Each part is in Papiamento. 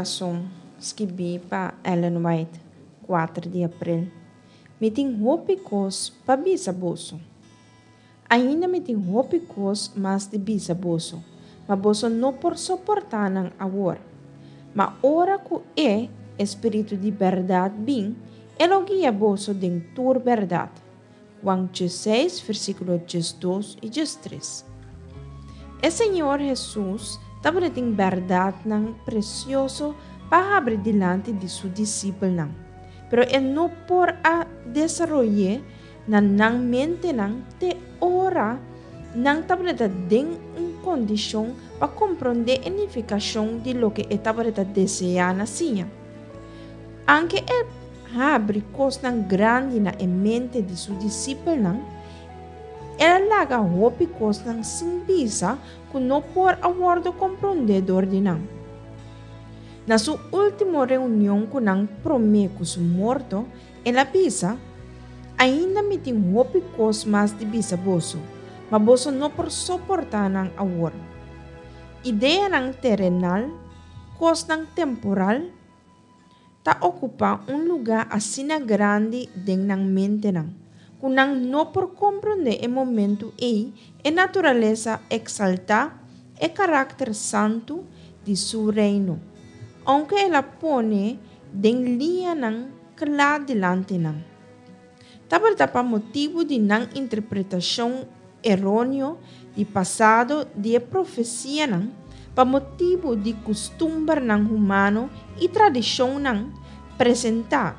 kurason, skibí pa Ellen White, kuater di aprel. Mi tin hopi kos pa bisa boso. Ainda mi tin hopi kos mas di bisa boso, ma boso no por soportá nan awor. Ma ora ku E, e Spiritu di bèrdat, bin, E lo guia boso den tur bèrdat. Juan diesseis, versíkulo diesdos i diestres. E Señor Hesus tabatin bèrdatnan presioso pa habri dilanti di su disipelnan, pero e no por a desaroy'é na nan mentenan te ora nan tabata den un kondishon pa komprondé e nifikashon di loke e tabata deseá na siña. Anke e habri kosnan grandi na e mente di su disipelnan, el a laga hopi kosnan sin bisa ku no por a wòrdu komprondé dor di nan. Na su último reunion ku nan promé ku su morto, el a bisa, Ainda mi tin hopi kos mas di bisa boso, ma boso no por soportá nan awor. Ideanan terenal, kosnan temporal, ta okupá un lugá asina grandi den nan mentenan, ku nan no por komprondé e momentu ei e naturalesa eksaltá, e karakter santu di Su Reino, ounke el a pone den liñanan kla dilanti nan. Tabata pa motibu di nan interpretashon eróneo di pasado di e profesianan, pa motibu di kustumbernan humano i tradishonnan presentá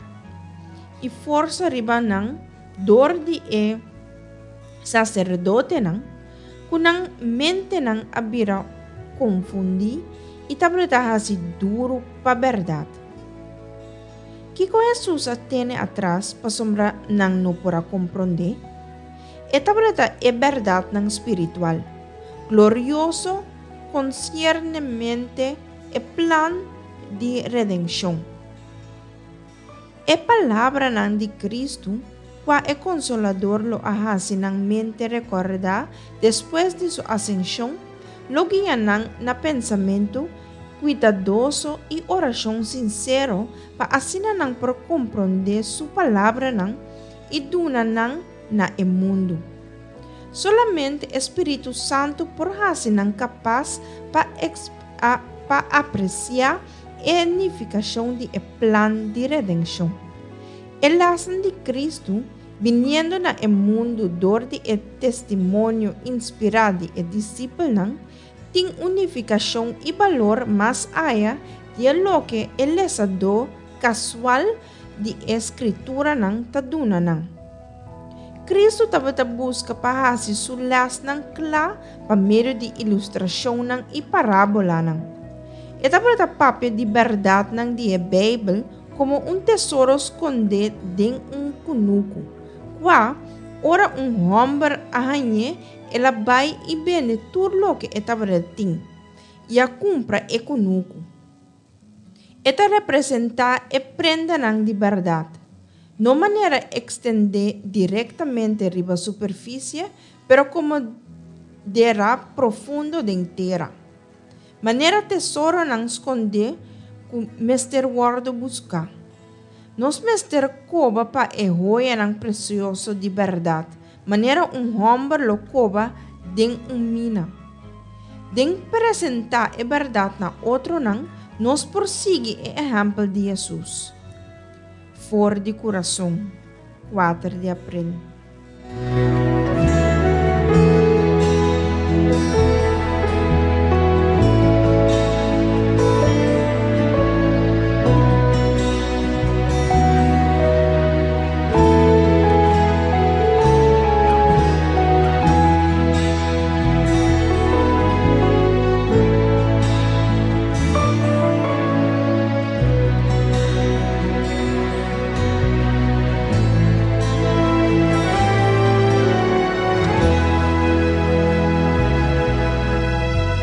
i forsa riba nan dor di e saserdotenan, ku nan mentenan a bira konfundí i tabata hasi duru pa bèrdat. Kiko Hesus a tene atras pasobra nan no por a komprondé? E tabata e bèrdatnan spiritual, glorioso konsiernemente e plan di redenshon. E palabranan di Kristu, kua e Konsolador lo a hasi nan mente rekordá despues di su asenshon, lo guia nan na pensamentu kuidadoso i orashon sinsero pa asina nan por komprondé su palabranan i duna nan na e mundu. Solamente e spiritu santu por hasi nan kapas pa pa apresiá e nifikashon di e plan di redenshon. E lasnan di Kristu biniendo na e mundu dor di e testimonio inspirá di e disipelnan tin un nifikashon i balor mas aya di e loke e lesadó kasual di e Skrituranan ta duna nan. Kristu tabata buska pa hasi su lèsnan kla pa medio di ilustrashonnan i parábolanan. E tabata papia di bèrdatnan di e Beibel komo un tesoro skondé den un kunuku, kua, ora un hòmber a hañ'é, el a bai i bende tur loke e tabata tin, i a kumpra e kunuku. E ta representá e prendanan di bèrdat, no manera ekstendé direktamente riba superfisie, pero komo derá profundo den tera, manera tesoronan skondé ku mester wòrdu buská. Nos mester koba pa e hoyanan presioso di bèrdat, manera un hòmber lo koba den un mina. Den presentá e bèrdat na otronan, nos por sigui e ehèmpel di Hesus. For di kurason, kuater di aprel.